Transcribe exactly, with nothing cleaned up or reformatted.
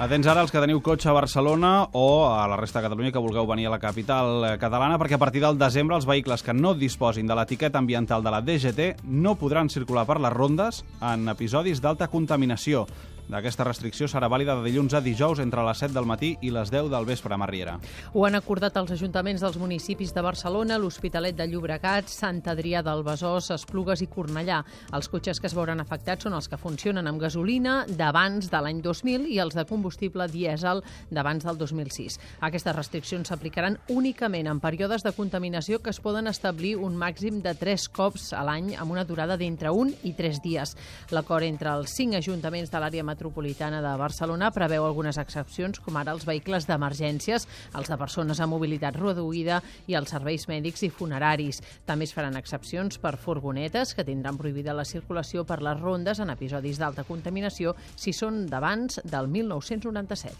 Atents ara els que teniu cotxe a Barcelona o a la resta de Catalunya que vulgueu venir a la capital catalana, perquè a partir del desembre els vehicles que no disposin de l'etiqueta ambiental de la D G T no podran circular per les rondes en episodis d'alta contaminació. Aquesta restricció serà vàlida de dilluns a dijous entre les set del matí i les deu del vespre, Mar Riera. Ho han acordat els ajuntaments dels municipis de Barcelona, l'Hospitalet de Llobregat, Sant Adrià del Besòs, Esplugues i Cornellà. Els cotxes que es veuran afectats són els que funcionen amb gasolina d'abans de l'any dos mil i els de combustible dièsel d'abans del dos mil sis. Aquestes restriccions s'aplicaran únicament en períodes de contaminació que es poden establir un màxim de tres cops a l'any amb una durada d'entre un i tres dies. L'acord entre els cinc ajuntaments de l'àrea metropolitana de Barcelona preveu algunes excepcions, com ara els vehicles d'emergències, els de persones amb mobilitat reduïda i els serveis mèdics i funeraris. També es faran excepcions per furgonetes, que tindran prohibida la circulació per les rondes en episodis d'alta contaminació si són d'abans del mil nou-cents noranta-set.